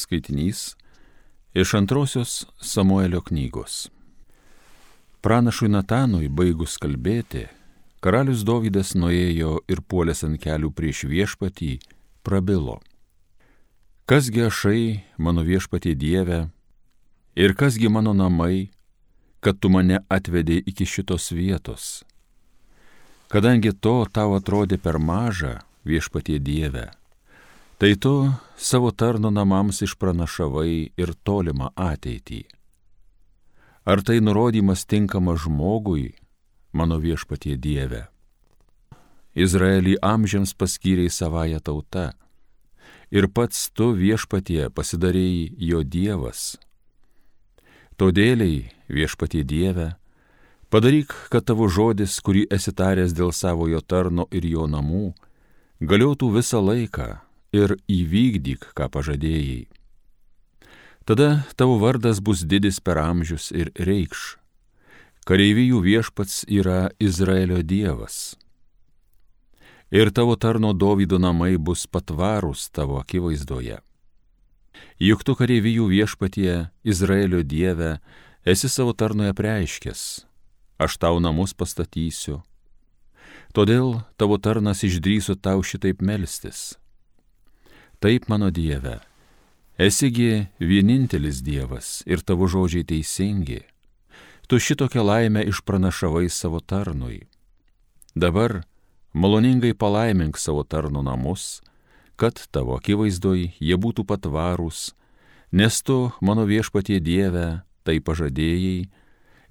Skaitinys iš 2 Samuelio knygos. Pranašui Natanui baigus kalbėti, karalius Dovydas nuėjo ir puolęs ant kelių prieš viešpatį, prabilo. Kasgi ašai, mano viešpatie Dieve, ir kasgi mano namai, kad tu mane atvedei iki šitos vietos? Kadangi to tau atrodė per maža, viešpatie Dieve, tai tu savo tarno namams išpranašavai ir tolimą ateitį. Ar tai nurodymas tinkamas žmogui, mano viešpatie Dieve? Izraelį amžiams paskyrei savąją tautą, ir pats tu, viešpatie, pasidarėjai jo Dievas. Todėliai, viešpatie Dieve, padaryk, kad tavo žodis, kurį esi taręs dėl savojo tarno ir jo namų, galiotų visą laiką ir įvykdyk, ką pažadėjai. Tada tavo vardas bus didis per amžius ir reikš: kareivijų viešpats yra Izraelio Dievas. Ir tavo tarno Dovydo namai bus patvarūs tavo akivaizdoje. Juk tu, kareivijų viešpatie, Izraelio Dieve, esi savo tarnoje apreiškęs: aš tau namus pastatysiu. Todėl tavo tarnas išdrįso tau šitaip melstis. Taip, mano Dieve, esigi vienintelis Dievas ir tavo žodžiai teisingi. Tu šitokią laimę išpranašavai savo tarnui. Dabar maloningai palaimink savo tarno namus, kad tavo akivaizdoj jie būtų patvarūs, nes tu, mano viešpatie Dieve, tai pažadėjai,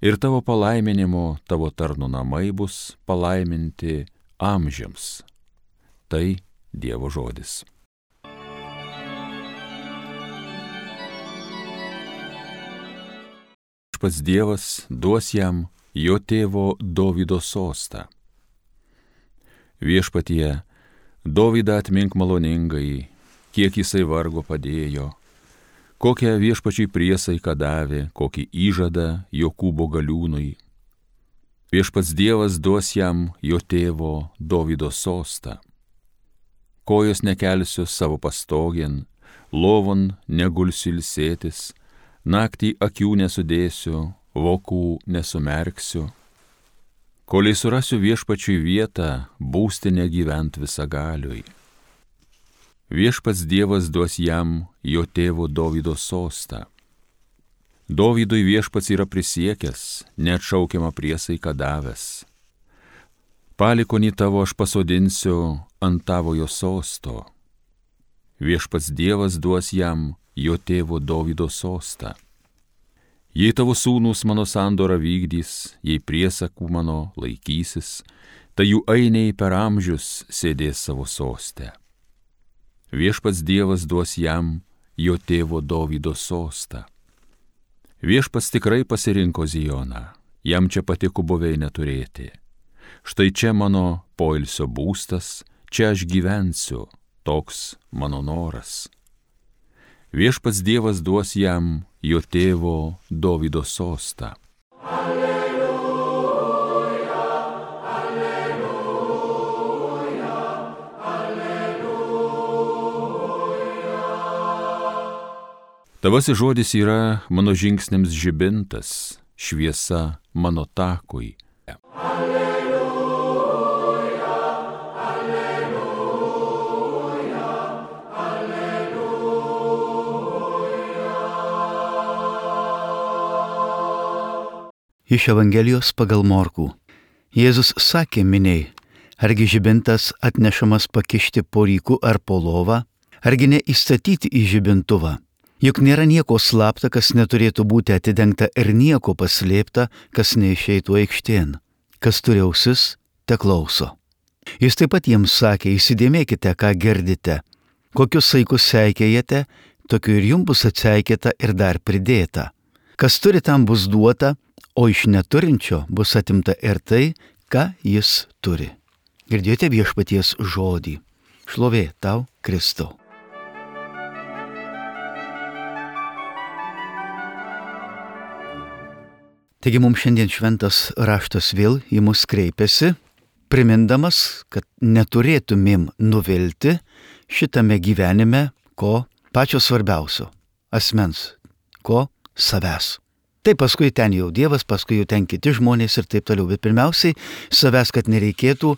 ir tavo palaiminimo tavo tarno namai bus palaiminti amžiams. Tai Dievo žodis. Pats Dievas duos jam jo tėvo Dovydo sostą. Viešpatie, Dovydą atmink maloningai, kiek jisai vargo padėjo, kokią viešpačiai priesaiką davė, kokį įžadą Jokūbo galiūnui. Viešpats Dievas duos jam jo tėvo Dovydo sostą. Kojos nekelsiu savo pastogėn, lovon negulsiu ilsėtis, naktį akių nesudėsiu, vokų nesumerksiu. Koliai surasiu viešpačiui vietą, būstinę gyvent visagaliui. Viešpats Dievas duos jam jo tėvo Dovydo sostą. Dovydui viešpats yra prisiekęs, neatšaukiamą priesaiką davęs. Palikonį tavo aš pasodinsiu ant tavojo sosto. Viešpats Dievas duos jam jo tėvo Dovydo sostą. Jei tavo sūnūs mano sandorą vykdys, jei priesakų mano laikysis, tai jų ainiai per amžius sėdės savo soste. Viešpats Dievas duos jam jo tėvo Dovydo sostą. Viešpats tikrai pasirinko Zioną, jam čia patiko buveinę turėti. Štai čia mano poilsio būstas, čia aš gyvensiu, toks mano noras. Viešpats Dievas duos jam jo tėvo Dovydo sostą. Alleluja, alleluja, alleluja. Tavasis žodis yra mano žingsniams žibintas, šviesa mano takui. Iš Evangelijos pagal Morkų. Jėzus sakė miniai: argi žibintas atnešamas pakišti po ryku ar po lovą, argi ne įstatyti į žibintuvą? Juk nėra nieko slapta, kas neturėtų būti atidengta, ir nieko paslėpta, kas neišeitų aikštėn. Kas turi ausis, te klauso. Jis taip pat jiems sakė: įsidėmėkite, ką girdite. Kokius saikus seikėjate, tokiu ir jums bus atseikėta ir dar pridėta. Kas turi, tam bus duota, o iš neturinčio bus atimta ir tai, ką jis turi. Girdėjote viešpaties žodį. Šlovė tau, Kristau. Taigi mums šiandien šventas raštas vėl į mus kreipiasi, primindamas, kad neturėtumėm nuvilti šitame gyvenime ko pačio svarbiausio asmens. Ko? Savęs. Tai paskui ten jau Dievas, paskui jau ten kiti žmonės ir taip toliau. Bet pirmiausiai savęs, kad nereikėtų,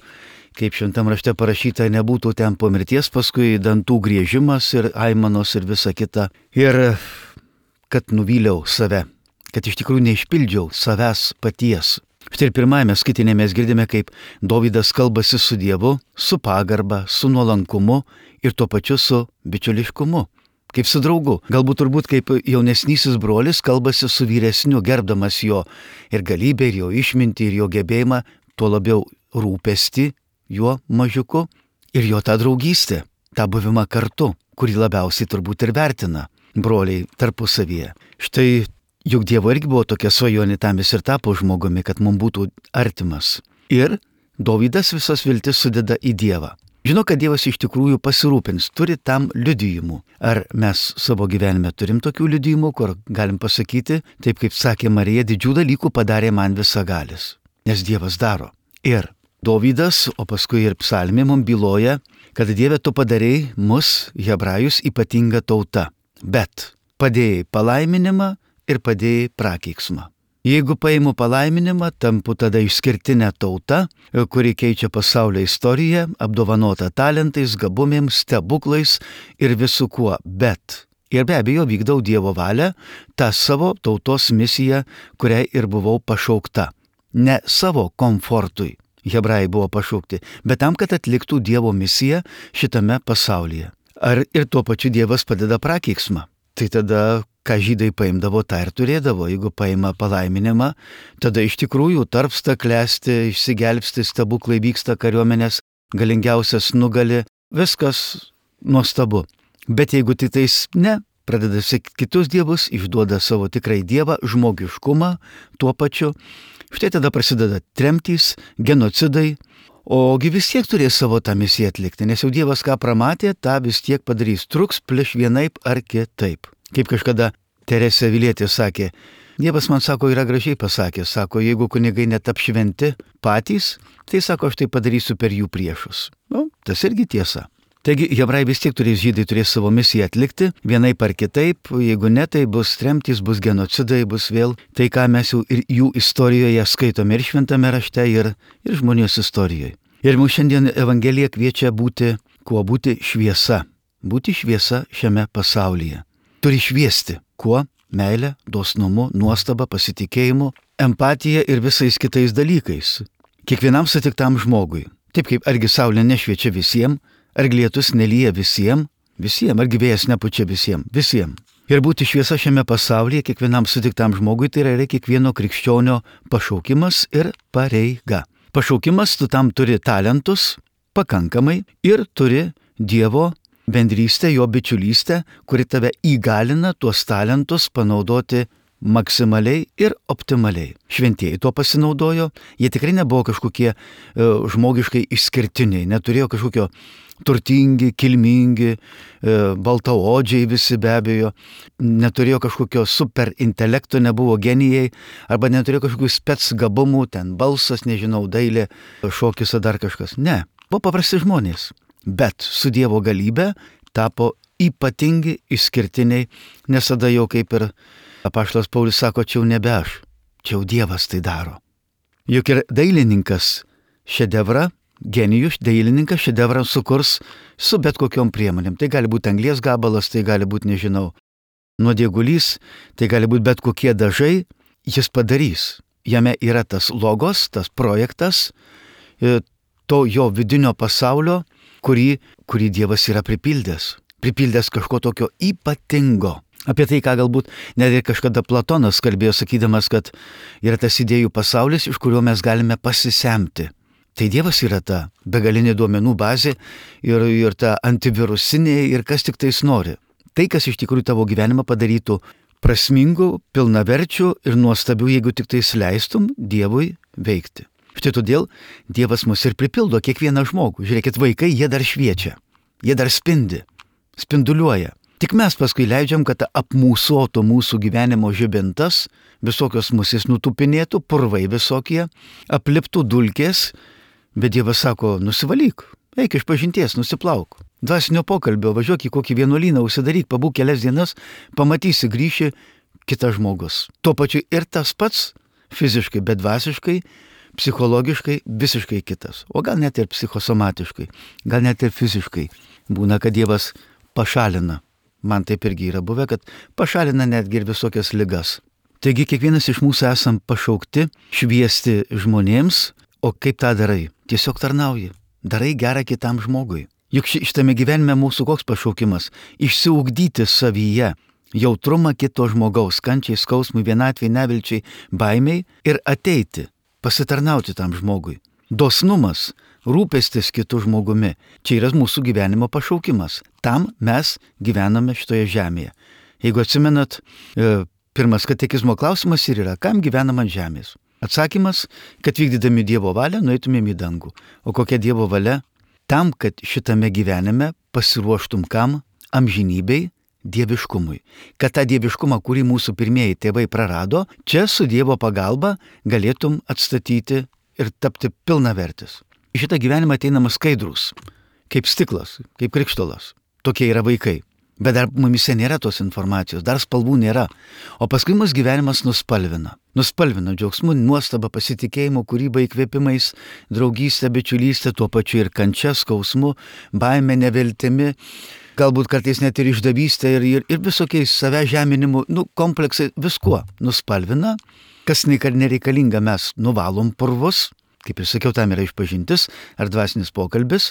kaip šventam rašte parašyta, nebūtų ten po mirties, paskui dantų griežimas ir aimanos ir visa kita. Ir kad nuvyliau save, kad iš tikrųjų neišpildžiau savęs paties. Štai ir pirmajame skaitinėje mes girdime, kaip Dovydas kalbasi su Dievu, su pagarba, su nuolankumu ir tuo pačiu su bičiuliškumu. Kaip su draugu. Galbūt turbūt kaip jaunesnysis brolis kalbasi su vyresniu, gerbdamas jo ir galybę, ir jo išmintį, ir jo gebėjimą, tuo labiau rūpestį juo mažiuku ir jo tą draugystę, tą buvimą kartu, kurį labiausiai turbūt ir vertina broliai tarpusavyje. Štai juk Dievo irgi buvo tokia svajonė, tam jis ir tapo žmogumi, kad mums būtų artimas. Ir Dovydas visas viltis sudeda į Dievą. Žino, kad Dievas iš tikrųjų pasirūpins, turi tam liudijimų. Ar mes savo gyvenime turim tokių liudijimų, kur galim pasakyti, taip kaip sakė Marija, didžių dalykų padarė man visagalis, nes Dievas daro. Ir Dovydas, o paskui ir psalmė mums byloja, kad Dieve tu padarei mus, hebrajus, ypatinga tauta, bet padėjai palaiminimą ir padėjai prakeiksmą. Jeigu paimu palaiminimą, tampu tada išskirtinė tauta, kuri keičia pasaulio istoriją, apdovanota talentais, gabumėms, stebuklais ir visu kuo, bet ir be abejo vykdau Dievo valią, tą savo tautos misiją, kuriai ir buvau pašaukta. Ne savo komfortui hebrajai buvo pašaukti, bet tam, kad atliktų Dievo misiją šitame pasaulyje. Ar ir tuo pačiu Dievas padeda prakeiksmą? Tai tada, ką žydai paimdavo, tą ir turėdavo. Jeigu paima palaiminimą, tada iš tikrųjų tarpsta, klesti, išsigelbsti, stebuklai vyksta, kariuomenės galingiausias nugali, viskas nuostabu. Bet jeigu tik tais ne, pradeda sekti kitus dievus, išduoda savo tikrai dievą, žmogiškumą tuo pačiu, štai tada prasideda tremtys, genocidai, ogi vis tiek turės savo tą misiją atlikti, nes jau Dievas ką pramatė, tą vis tiek padarys, truks pliš vienaip ar kitaip. Kaip kažkada Teresė Avilietė sakė, Dievas man sako, yra gražiai pasakęs, sako, jeigu kunigai netap šventi patys, tai sako, aš tai padarysiu per jų priešus. Tas irgi tiesa. Taigi, hebrajai vis tiek turės, žydai turės savo misiją atlikti, vienaip ar kitaip, jeigu ne, tai bus tremtys, bus genocidai, bus vėl tai, ką mes jau ir jų istorijoje skaitome ir šventame rašte, ir žmonijos istorijoje. Ir mums šiandien Evangelija kviečia būti, kuo būti šviesa. Būti šviesa šiame pasaulyje. Turi šviesti. Kuo? Meilė, dosnumu, nuostaba, pasitikėjimu, empatija ir visais kitais dalykais. Kiekvienam sutiktam žmogui. Taip kaip argi saulė nešviečia visiems, argi lietus nelyja visiems, argi vėjas nepučia visiems. Ir būti šviesa šiame pasaulyje kiekvienam sutiktam žmogui tai yra kiekvieno krikščionio pašaukimas ir pareiga. Pašaukimas, tu tam turi talentus pakankamai ir turi Dievo bendrystę, jo bičiulystę, kuri tave įgalina tuos talentus panaudoti maksimaliai ir optimaliai. Šventieji tuo pasinaudojo, jie tikrai nebuvo kažkokie žmogiškai išskirtiniai, neturėjo kažkokio turtingi, kilmingi, baltaodžiai visi be abejo, neturėjo kažkokio super intelekto, nebuvo genijai, arba neturėjo kažkokių spec gabumų, ten balsas, nežinau, dailė, šokis ar dar kažkas. Ne, buvo paprasti žmonės, bet su Dievo galybė tapo ypatingi, išskirtiniai, nes tada jau kaip ir apaštalas Paulius sako, čia jau nebe aš, čia jau Dievas tai daro. Juk ir dailininkas šedevrą, genijus, dailininkas šedevrą sukurs su bet kokiom priemonėm. Tai gali būti anglies gabalas, tai gali būti, nežinau, nuodėgulys, tai gali būti bet kokie dažai, jis padarys. Jame yra tas logos, tas projektas, to jo vidinio pasaulio, kurį Dievas yra pripildęs kažko tokio ypatingo. Apie tai, ką galbūt net ir kažkada Platonas kalbėjo, sakydamas, kad yra tas idėjų pasaulis, iš kurio mes galime pasisemti. Tai Dievas yra ta begalinė duomenų bazė ir ta antivirusinė ir kas tik tais nori. Tai, kas iš tikrųjų tavo gyvenimą padarytų prasmingų, pilnaverčių ir nuostabių, jeigu tik tais leistum Dievui veikti. Štai todėl Dievas mus ir pripildo kiekvieną žmogų. Žiūrėkit, vaikai, jie dar šviečia, jie dar spinduliuoja. Tik mes paskui leidžiam, kad apmūsuotų mūsų gyvenimo žibintas, visokios musės nutupinėtų, purvai visokie, apliptų dulkės, bet Dievas sako, nusivalyk, Eik iš pažinties, nusiplauk. Dvasinio pokalbio, važiuok į kokį vienuolyną, užsidaryk, pabūk kelias dienas, pamatysi, grįši kitas žmogus. Tuo pačiu ir tas pats fiziškai, bet dvasiškai, psichologiškai visiškai kitas. O gal net ir psichosomatiškai, gal net ir fiziškai. Būna, kad Dievas pašalina. Man taip irgi yra buvę, kad pašalina netgi ir visokias ligas. Taigi kiekvienas iš mūsų esam pašaukti šviesti žmonėms, o kaip tą darai? Tiesiog tarnauji. Darai gerą kitam žmogui. Juk šitame gyvenime mūsų koks pašaukimas? Išsiugdyti savyje jautrumą kito žmogaus, kančiai, skausmui, vienatvei, nevilčiai, baimiai ir ateiti, pasitarnauti tam žmogui. Dosnumas, rūpestis kitų žmogumi. Čia yra mūsų gyvenimo pašaukimas. Tam mes gyvename šitoje žemėje. Jeigu atsimenat, pirmas katekizmo klausimas ir yra, kam gyvenam ant žemės? Atsakymas, kad vykdydami Dievo valią nueitumėm į dangų. O kokia Dievo valia? Tam, kad šitame gyvenime pasiruoštum kam? Amžinybei, dieviškumui. Kad tą dieviškumą, kurį mūsų pirmieji tėvai prarado, čia su Dievo pagalba galėtum atstatyti ir tapti pilnavertis. Į šitą gyvenimą ateinama skaidrus, kaip stiklas, kaip krikštolas. Tokie yra vaikai. Bet dar mumise nėra tos informacijos, dar spalvų nėra. O paskui mus gyvenimas nuspalvina. Nuspalvina džiaugsmu, nuostaba, pasitikėjimu, kūryba, įkvėpimais, draugystė, bičiulystė, tuo pačiu ir kančia, skausmu, baime, neviltimi, galbūt kartais net ir išdavystė ir visokiais savęs žeminimu, kompleksai, viskuo nuspalvina. Kas nereikalinga, mes nuvalom purvus, kaip ir sakiau, tam yra išpažintis ar dvasinis pokalbis,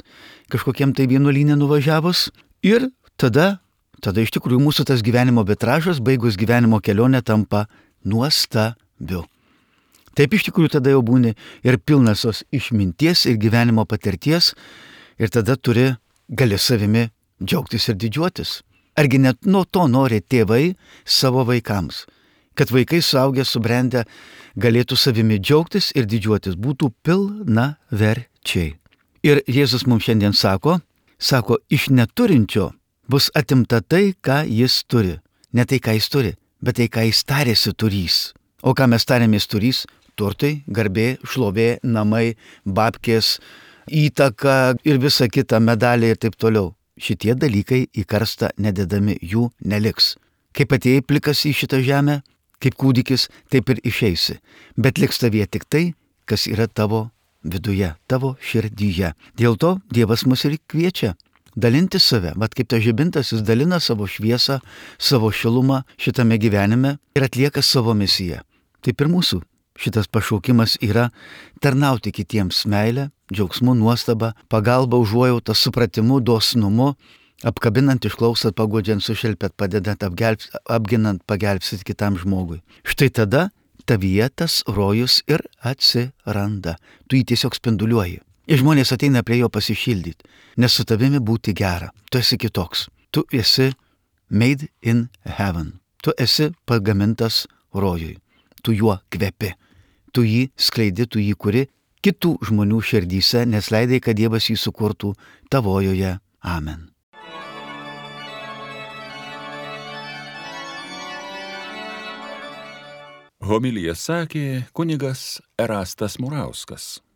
kažkokiem tai vienuolynė nuvažiavus ir tada iš tikrųjų mūsų tas gyvenimo vitražas, baigus gyvenimo kelionę, tampa nuostabiu. Taip iš tikrųjų tada jau būni ir pilnas tos išminties ir gyvenimo patirties ir tada gali savimi džiaugtis ir didžiuotis. Argi net nuo to nori tėvai savo vaikams, kad vaikai suaugę, subrendę galėtų savimi džiaugtis ir didžiuotis, būtų pilnaverčiai. Ir Jėzus mums šiandien sako, iš neturinčio bus atimta tai, ką jis turi. Ne tai, ką jis turi, bet tai, ką jis tarėsi turys. O ką mes tarėmės turys? Turtai, garbė, šlovė, namai, babkės, įtaka ir visa kita, medaliai ir taip toliau. Šitie dalykai į karstą nededami, jų neliks. Kaip atėjai plikas į šitą žemę, kaip kūdikis, taip ir išeisi. Bet liks tavyje tik tai, kas yra tavo viduje, tavo širdyje. Dėl to Dievas mus ir kviečia dalinti save, bet kaip tas žibintas, jis dalina savo šviesą, savo šilumą šitame gyvenime ir atlieka savo misiją. Taip ir mūsų šitas pašaukimas yra tarnauti kitiems meilę, džiaugsmu, nuostaba, pagalba, užuojautą, supratimu, dosnumu, apkabinant, išklausant, paguodžiant, sušelpėt, padedant, apginant, pagelbsit kitam žmogui. Štai tada tavyje tas rojus ir atsiranda. Tu jį tiesiog spinduliuoji. Ir žmonės ateina prie jo pasišildyti, nes su tavimi būti gera. Tu esi kitoks. Tu esi made in heaven. Tu esi pagamintas rojui. Tu juo kvepi. Tu jį skleidi, tu jį kuri kitų žmonių širdyse, nes leidai, kad Dievas jį sukurtų tavojoje. Amen. Homiliją sakė kunigas Erastas Murauskas.